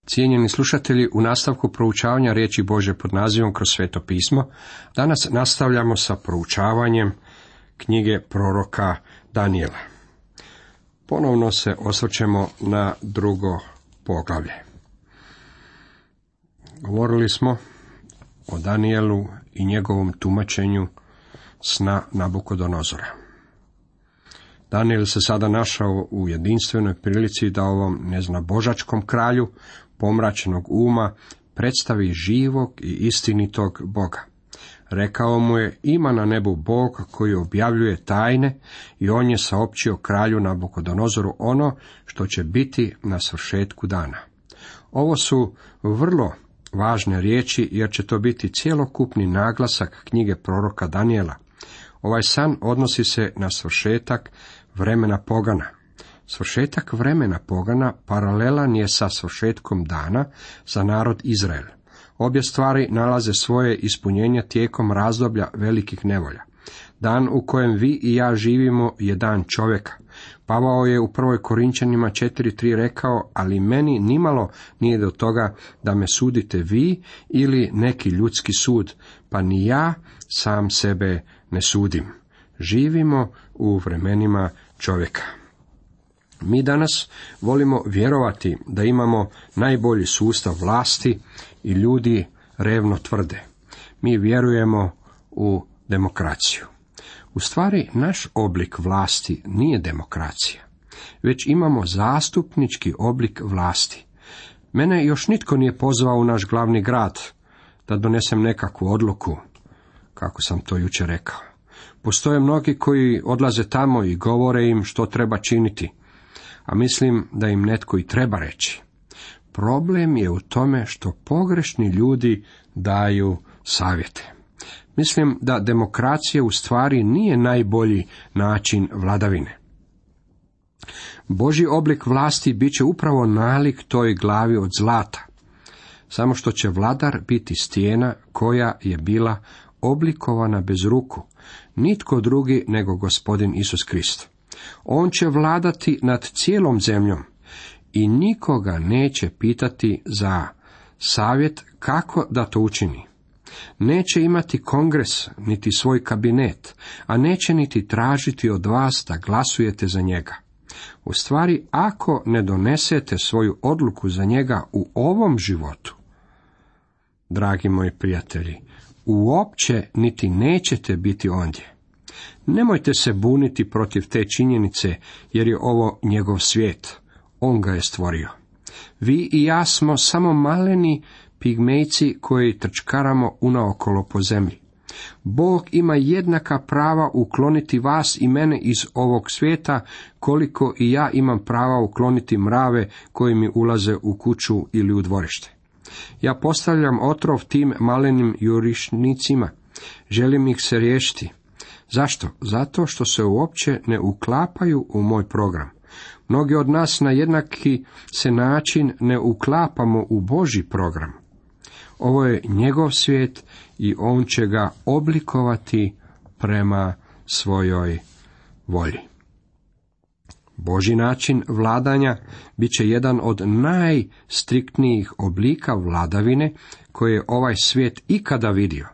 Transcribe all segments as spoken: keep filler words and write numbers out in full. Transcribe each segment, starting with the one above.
Cijenjeni slušatelji, u nastavku proučavanja riječi Božje pod nazivom Kroz sveto pismo, danas nastavljamo sa proučavanjem knjige proroka Danijela. Ponovno se osvrćemo na drugo poglavlje. Govorili smo o Danijelu i njegovom tumačenju sna Nabukodonozora. Danijel se sada našao u jedinstvenoj prilici da ovom neznabožačkom kralju pomračenog uma predstavi živog i istinitog Boga. Rekao mu je, ima na nebu Bog koji objavljuje tajne i on je saopćio kralju Nabukodonozoru ono što će biti na svršetku dana. Ovo su vrlo važne riječi jer će to biti cjelokupni naglasak knjige proroka Danijela. Ovaj san odnosi se na svršetak vremena pogana. Svršetak vremena pogana paralelan je sa svršetkom dana za narod Izrael. Obje stvari nalaze svoje ispunjenje tijekom razdoblja velikih nevolja. Dan u kojem vi i ja živimo je dan čovjeka. Pavao je u prvoj Korinčanima četiri tri rekao, ali meni nimalo nije do toga da me sudite vi ili neki ljudski sud, pa ni ja sam sebe ne sudim. Živimo u vremenima čovjeka. Mi danas volimo vjerovati da imamo najbolji sustav vlasti i ljudi revno tvrde. Mi vjerujemo u demokraciju. U stvari, naš oblik vlasti nije demokracija, već imamo zastupnički oblik vlasti. Mene još nitko nije pozvao u naš glavni grad da donesem nekakvu odluku, kako sam to jučer rekao. Postoje mnogi koji odlaze tamo i govore im što treba činiti, a mislim da im netko i treba reći. Problem je u tome što pogrešni ljudi daju savjete. Mislim da demokracija u stvari nije najbolji način vladavine. Božji oblik vlasti bit će upravo nalik toj glavi od zlata, samo što će vladar biti stijena koja je bila oblikovana bez ruku, nitko drugi nego Gospodin Isus Krist. On će vladati nad cijelom zemljom i nikoga neće pitati za savjet kako da to učini. Neće imati kongres, niti svoj kabinet, a neće niti tražiti od vas da glasujete za njega. U stvari, ako ne donesete svoju odluku za njega u ovom životu, dragi moji prijatelji, uopće niti nećete biti ondje. Nemojte se buniti protiv te činjenice, jer je ovo njegov svijet. On ga je stvorio. Vi i ja smo samo maleni pigmejci koji trčkaramo unaokolo po zemlji. Bog ima jednaka prava ukloniti vas i mene iz ovog svijeta, koliko i ja imam prava ukloniti mrave koji mi ulaze u kuću ili u dvorište. Ja postavljam otrov tim malenim jurišnicima. Želim ih se riješiti. Zašto? Zato što se uopće ne uklapaju u moj program. Mnogi od nas na jednaki se način ne uklapamo u Božji program. Ovo je njegov svijet i on će ga oblikovati prema svojoj volji. Božji način vladanja bit će jedan od najstriktnijih oblika vladavine koje je ovaj svijet ikada vidio.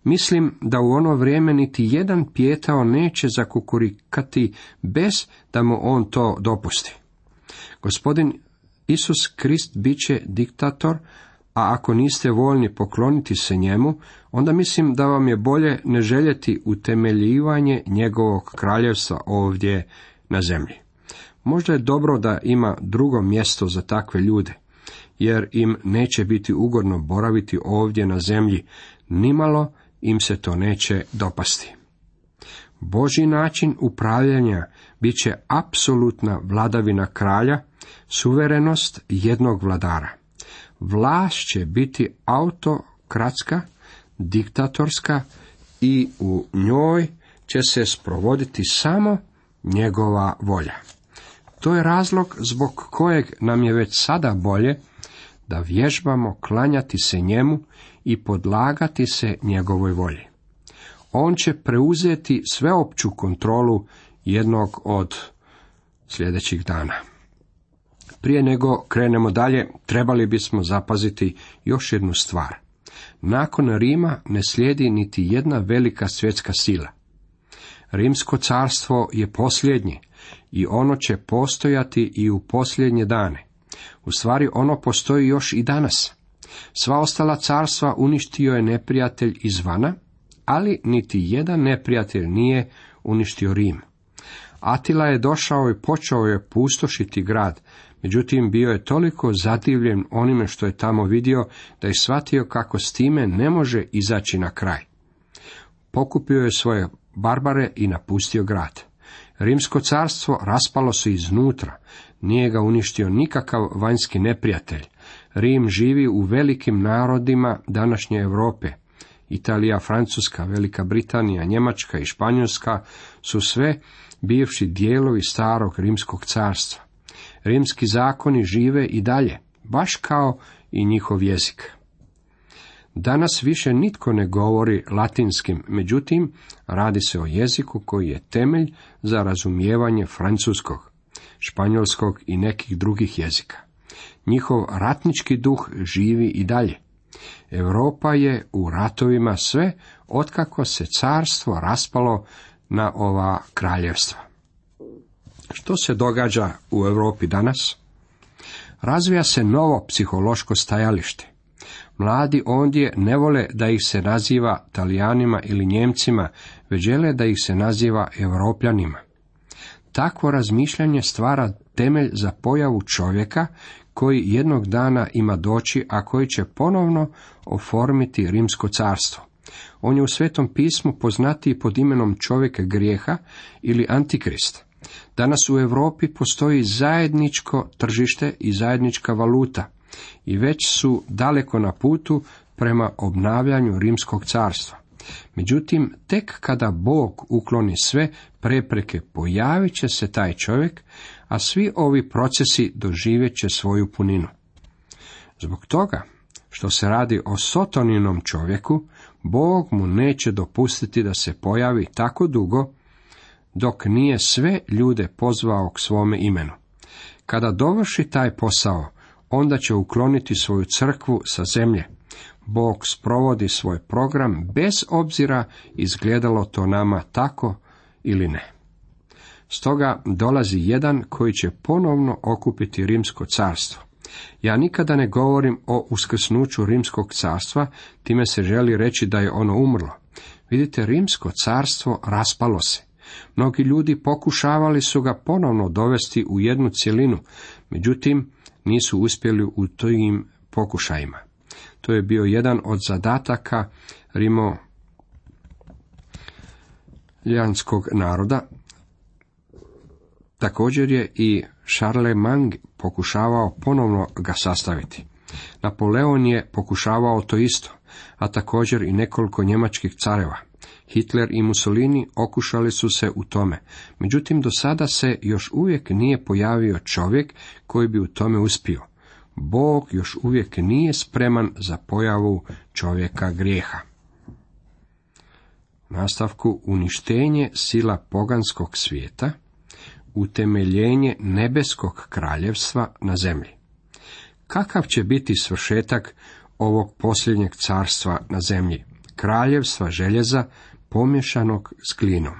Mislim da u ono vrijeme niti jedan pijetao neće zakukurikati bez da mu on to dopusti. Gospodin Isus Krist bit će diktator, a ako niste voljni pokloniti se njemu, onda mislim da vam je bolje ne željeti utemeljivanje njegovog kraljevstva ovdje na zemlji. Možda je dobro da ima drugo mjesto za takve ljude, jer im neće biti ugodno boraviti ovdje na zemlji, nimalo im se to neće dopasti. Božji način upravljanja bit će apsolutna vladavina kralja, suverenost jednog vladara. Vlast će biti autokratska, diktatorska i u njoj će se sprovoditi samo njegova volja. To je razlog zbog kojeg nam je već sada bolje da vježbamo klanjati se njemu i podlagati se njegovoj volji. On će preuzeti sveopću kontrolu jednog od sljedećih dana. Prije nego krenemo dalje, trebali bismo zapaziti još jednu stvar. Nakon Rima ne slijedi niti jedna velika svjetska sila. Rimsko carstvo je posljednje i ono će postojati i u posljednje dane. U stvari ono postoji još i danas. Sva ostala carstva uništio je neprijatelj izvana, ali niti jedan neprijatelj nije uništio Rim. Atila je došao i počeo je pustošiti grad, međutim bio je toliko zadivljen onime što je tamo vidio, da je shvatio kako s time ne može izaći na kraj. Pokupio je svoje barbare i napustio grad. Rimsko carstvo raspalo se iznutra, nije ga uništio nikakav vanjski neprijatelj. Rim živi u velikim narodima današnje Europe. Italija, Francuska, Velika Britanija, Njemačka i Španjolska su sve bivši dijelovi starog rimskog carstva. Rimski zakoni žive i dalje, baš kao i njihov jezik. Danas više nitko ne govori latinskim, međutim, radi se o jeziku koji je temelj za razumijevanje francuskog, španjolskog i nekih drugih jezika. Njihov ratnički duh živi i dalje. Europa je u ratovima sve otkako se carstvo raspalo na ova kraljevstva. Što se događa u Europi danas? Razvija se novo psihološko stajalište. Mladi ondje ne vole da ih se naziva Talijanima ili Njemcima, već žele da ih se naziva Europljanima. Takvo razmišljanje stvara temelj za pojavu čovjeka koji jednog dana ima doći, a koji će ponovno oformiti rimsko carstvo. On je u Svetom pismu poznatiji pod imenom čovjeka grijeha ili Antikrist. Danas u Europi postoji zajedničko tržište i zajednička valuta i već su daleko na putu prema obnavljanju rimskog carstva. Međutim, tek kada Bog ukloni sve prepreke, pojavit će se taj čovjek, a svi ovi procesi doživjet će svoju puninu. Zbog toga što se radi o Sotoninom čovjeku, Bog mu neće dopustiti da se pojavi tako dugo, dok nije sve ljude pozvao k svome imenu. Kada dovrši taj posao, onda će ukloniti svoju crkvu sa zemlje. Bog sprovodi svoj program bez obzira izgledalo to nama tako ili ne. Stoga dolazi jedan koji će ponovno okupiti rimsko carstvo. Ja nikada ne govorim o uskrsnuću rimskog carstva, time se želi reći da je ono umrlo. Vidite, rimsko carstvo raspalo se. Mnogi ljudi pokušavali su ga ponovno dovesti u jednu cjelinu, međutim nisu uspjeli u tim pokušajima. To je bio jedan od zadataka rimoljanskog naroda. Također je i Charlemagne pokušavao ponovno ga sastaviti. Napoleon je pokušavao to isto, a također i nekoliko njemačkih careva. Hitler i Mussolini okušali su se u tome, međutim do sada se još uvijek nije pojavio čovjek koji bi u tome uspio. Bog još uvijek nije spreman za pojavu čovjeka grijeha. U nastavku uništenje sila poganskog svijeta, utemeljenje nebeskog kraljevstva na zemlji. Kakav će biti svršetak ovog posljednjeg carstva na zemlji? Kraljevstva željeza pomješanog s glinom.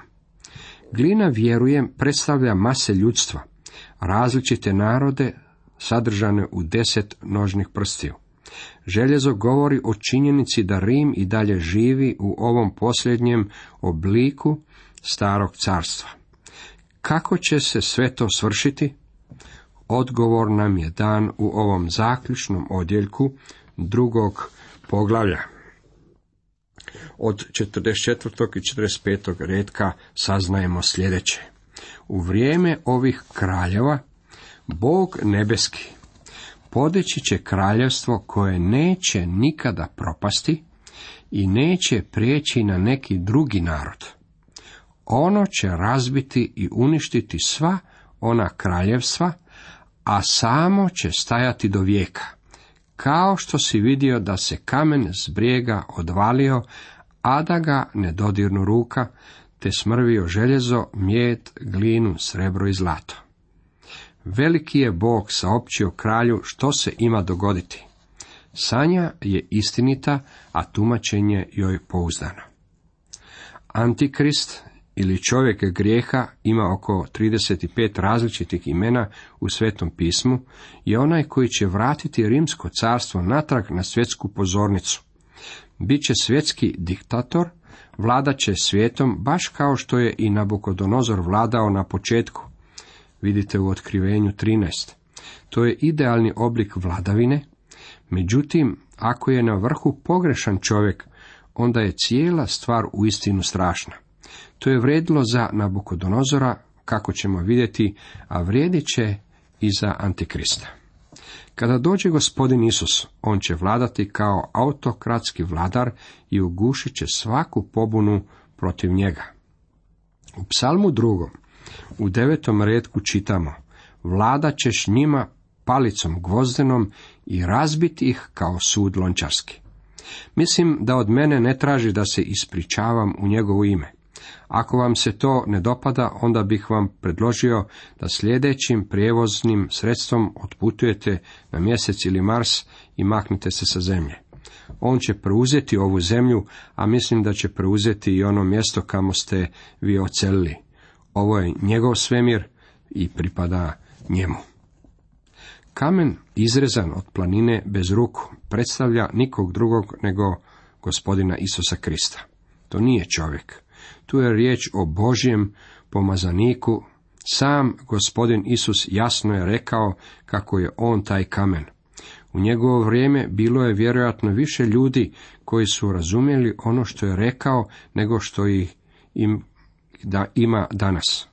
Glina, vjerujem, predstavlja mase ljudstva, različite narode sadržane u deset nožnih prstiju. Željezo govori o činjenici da Rim i dalje živi u ovom posljednjem obliku starog carstva. Kako će se sve to svršiti? Odgovor nam je dan u ovom zaključnom odjeljku drugog poglavlja. Od četrdeset četvrtog i četrdeset petog redka saznajemo sljedeće. U vrijeme ovih kraljeva Bog nebeski podići će kraljevstvo koje neće nikada propasti i neće prijeći na neki drugi narod. Ono će razbiti i uništiti sva ona kraljevstva, a samo će stajati do vijeka. Kao što si vidio da se kamen s brijega odvalio, a da ga ne dodirnu ruka, te smrvio željezo, mjed, glinu, srebro i zlato. Veliki je Bog saopćio kralju što se ima dogoditi. Sanja je istinita, a tumačenje joj pouzdano. Antikrist ili čovjek grijeha ima oko trideset pet različitih imena u Svetom pismu, je onaj koji će vratiti rimsko carstvo natrag na svjetsku pozornicu. Biće svjetski diktator, vladat će svijetom baš kao što je i Nabukodonozor vladao na početku. Vidite u Otkrivenju trinaest. To je idealni oblik vladavine, međutim, ako je na vrhu pogrešan čovjek, onda je cijela stvar uistinu strašna. To je vrijedilo za Nabukodonozora, kako ćemo vidjeti, a vrijedit će i za Antikrista. Kada dođe gospodin Isus, on će vladati kao autokratski vladar i ugušit će svaku pobunu protiv njega. U psalmu drugom, u devetom retku čitamo: vladat ćeš njima palicom gvozdenom i razbiti ih kao sud lončarski. Mislim da od mene ne traži da se ispričavam u njegovo ime. Ako vam se to ne dopada, onda bih vam predložio da sljedećim prijevoznim sredstvom otputujete na mjesec ili Mars i maknite se sa zemlje. On će preuzeti ovu zemlju, a mislim da će preuzeti i ono mjesto kamo ste vi odselili. Ovo je njegov svemir i pripada njemu. Kamen izrezan od planine bez ruku predstavlja nikog drugog nego gospodina Isusa Krista. To nije čovjek. Tu je riječ o Božjem pomazaniku. Sam gospodin Isus jasno je rekao kako je on taj kamen. U njegovo vrijeme bilo je vjerojatno više ljudi koji su razumjeli ono što je rekao nego što ih im da ima danas.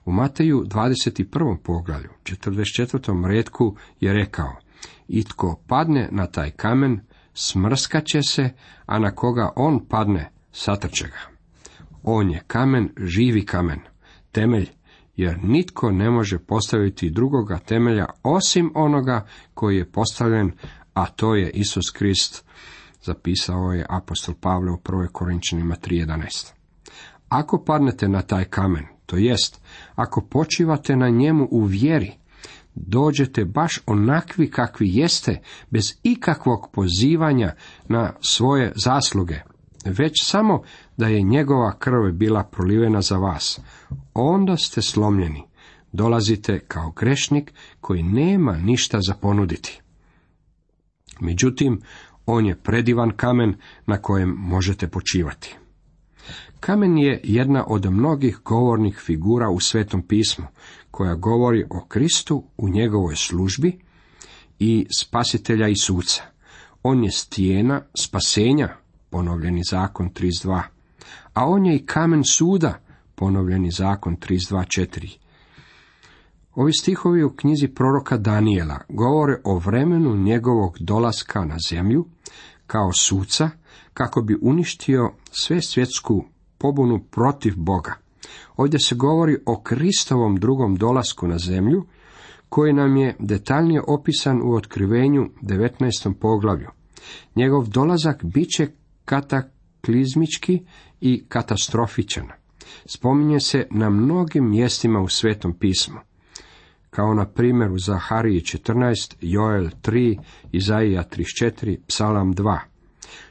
U Mateju dvadeset prvom poglavlju, četrdeset četvrtom retku je rekao: i tko padne na taj kamen, smrskat će se, a na koga on padne, satrče ga. On je kamen, živi kamen, temelj, jer nitko ne može postaviti drugoga temelja osim onoga koji je postavljen, a to je Isus Krist, zapisao je apostol Pavle u prvoj Korinčanima tri jedanaest. Ako padnete na taj kamen, to jest, ako počivate na njemu u vjeri, dođete baš onakvi kakvi jeste, bez ikakvog pozivanja na svoje zasluge, već samo da je njegova krv bila prolivena za vas. Onda ste slomljeni, dolazite kao grešnik koji nema ništa za ponuditi. Međutim, on je predivan kamen na kojem možete počivati. Kamen je jedna od mnogih govornih figura u Svetom pismu, koja govori o Kristu u njegovoj službi i spasitelja i suca. On je stijena spasenja, ponovljeni zakon trideset dva, a on je i kamen suda, ponovljeni zakon trideset dva četiri. Ovi stihovi u knjizi proroka Danijela govore o vremenu njegovog dolaska na zemlju kao suca, kako bi uništio sve svjetsku pobunu protiv Boga. Ovdje se govori o Kristovom drugom dolasku na zemlju, koji nam je detaljnije opisan u Otkrivenju devetnaestom poglavlju. Njegov dolazak bit će kataklizmički i katastrofičan. Spominje se na mnogim mjestima u Svetom pismu, kao na primjer u Zahariji četrnaest, Joel tri, Izaija trideset četiri, Psalam dva.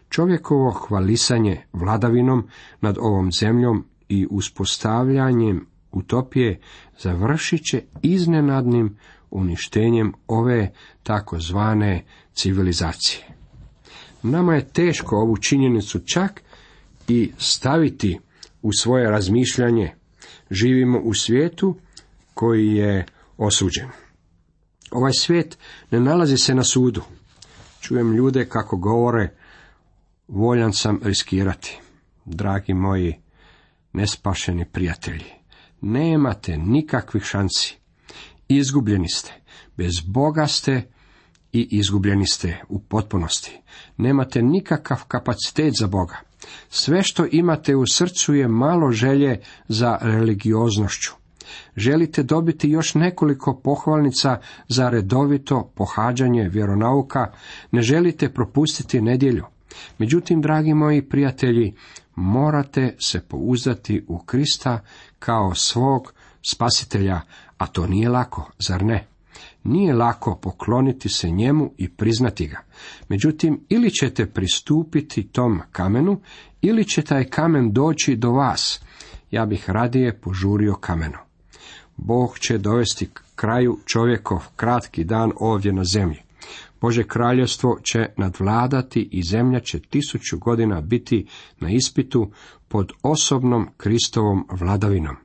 Čovjekovo hvalisanje vladavinom nad ovom zemljom i uspostavljanjem utopije završit će iznenadnim uništenjem ove takozvane civilizacije. Nama je teško ovu činjenicu čak i staviti u svoje razmišljanje. Živimo u svijetu koji je osuđen. Ovaj svijet ne nalazi se na sudu. Čujem ljude kako govore: voljan sam riskirati. Dragi moji nespašeni prijatelji, nemate nikakvih šansi. Izgubljeni ste. Bez Boga ste i izgubljeni ste u potpunosti. Nemate nikakav kapacitet za Boga. Sve što imate u srcu je malo želje za religioznošću. Želite dobiti još nekoliko pohvalnica za redovito pohađanje vjeronauka, ne želite propustiti nedjelju. Međutim, dragi moji prijatelji, morate se pouzdati u Krista kao svog spasitelja, a to nije lako, zar ne? Nije lako pokloniti se njemu i priznati ga. Međutim, ili ćete pristupiti tom kamenu, ili će taj kamen doći do vas. Ja bih radije požurio kamenu. Bog će dovesti kraju čovjekov kratki dan ovdje na zemlji. Božje kraljevstvo će nadvladati i zemlja će tisuću godina biti na ispitu pod osobnom Kristovom vladavinom.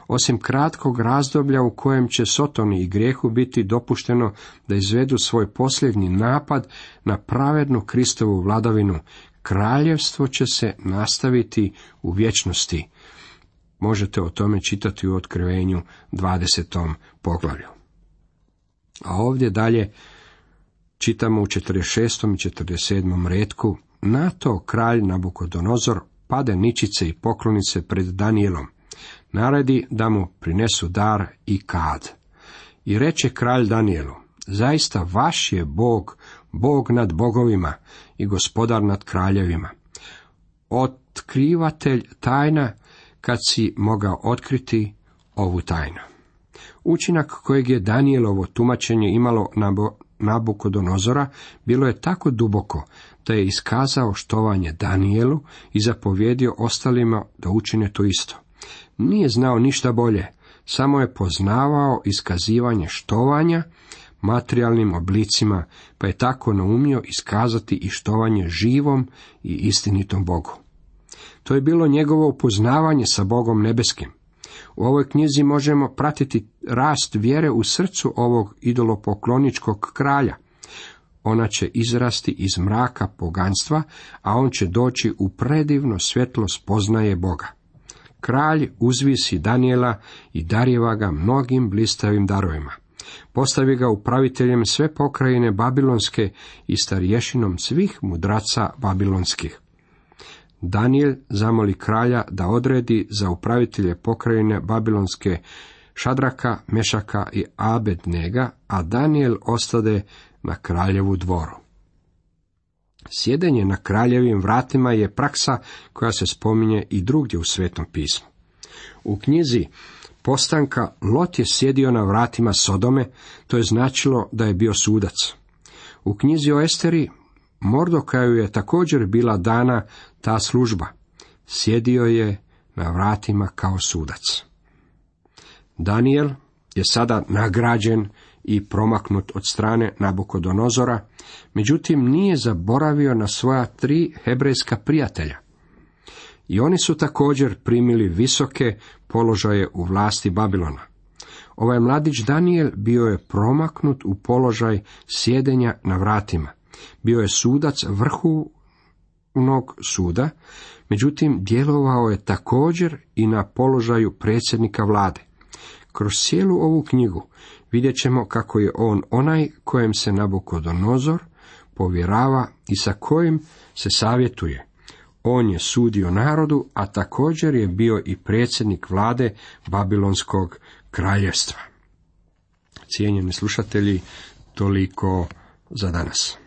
Osim kratkog razdoblja u kojem će Sotoni i grijehu biti dopušteno da izvedu svoj posljednji napad na pravednu Kristovu vladavinu, kraljevstvo će se nastaviti u vječnosti. Možete o tome čitati u Otkrivenju dvadesetom poglavlju. A ovdje dalje čitamo u četrdeset šestom i četrdeset sedmom retku: Na to kralj Nabukodonozor pade ničice i pokloni se pred Danijelom. Naredi da mu prinesu dar i kad. I reče kralj Danijelu: Zaista vaš je Bog, Bog nad bogovima i gospodar nad kraljevima, otkrivatelj tajna, kad si mogao otkriti ovu tajnu. Učinak kojeg je Danijelovo tumačenje imalo na Nabukodonozora bilo je tako duboko da je iskazao štovanje Danijelu i zapovjedio ostalima da učine to isto. Nije znao ništa bolje, samo je poznavao iskazivanje štovanja materijalnim oblicima, pa je tako naumio iskazati i štovanje živom i istinitom Bogu. To je bilo njegovo upoznavanje sa Bogom nebeskim. U ovoj knjizi možemo pratiti rast vjere u srcu ovog idolopokloničkog kralja. Ona će izrasti iz mraka poganstva, a on će doći u predivno svjetlo spoznaje Boga. Kralj uzvisi Danijela i darjeva ga mnogim blistavim darovima. Postavi ga upraviteljem sve pokrajine babilonske i starješinom svih mudraca babilonskih. Danijel zamoli kralja da odredi za upravitelje pokrajine babilonske Šadraka, Mešaka i Abednega, a Danijel ostade na kraljevu dvoru. Sjedenje na kraljevim vratima je praksa koja se spominje i drugdje u Svetom pismu. U knjizi Postanka Lot je sjedio na vratima Sodome, to je značilo da je bio sudac. U knjizi o Esteri Mordokaju je također bila dana ta služba. Sjedio je na vratima kao sudac. Danijel je sada nagrađen i promaknut od strane Nabukodonozora, međutim nije zaboravio na svoja tri hebrejska prijatelja. I oni su također primili visoke položaje u vlasti Babilona. Ovaj mladić Danijel bio je promaknut u položaj sjedenja na vratima. Bio je sudac vrhovnog suda, međutim djelovao je također i na položaju predsjednika vlade. Kroz cijelu ovu knjigu vidjet ćemo kako je on onaj kojem se Nabukodonozor povjerava i sa kojim se savjetuje. On je sudio narodu, a također je bio i predsjednik vlade Babilonskog kraljevstva. Cijenjeni slušatelji, toliko za danas.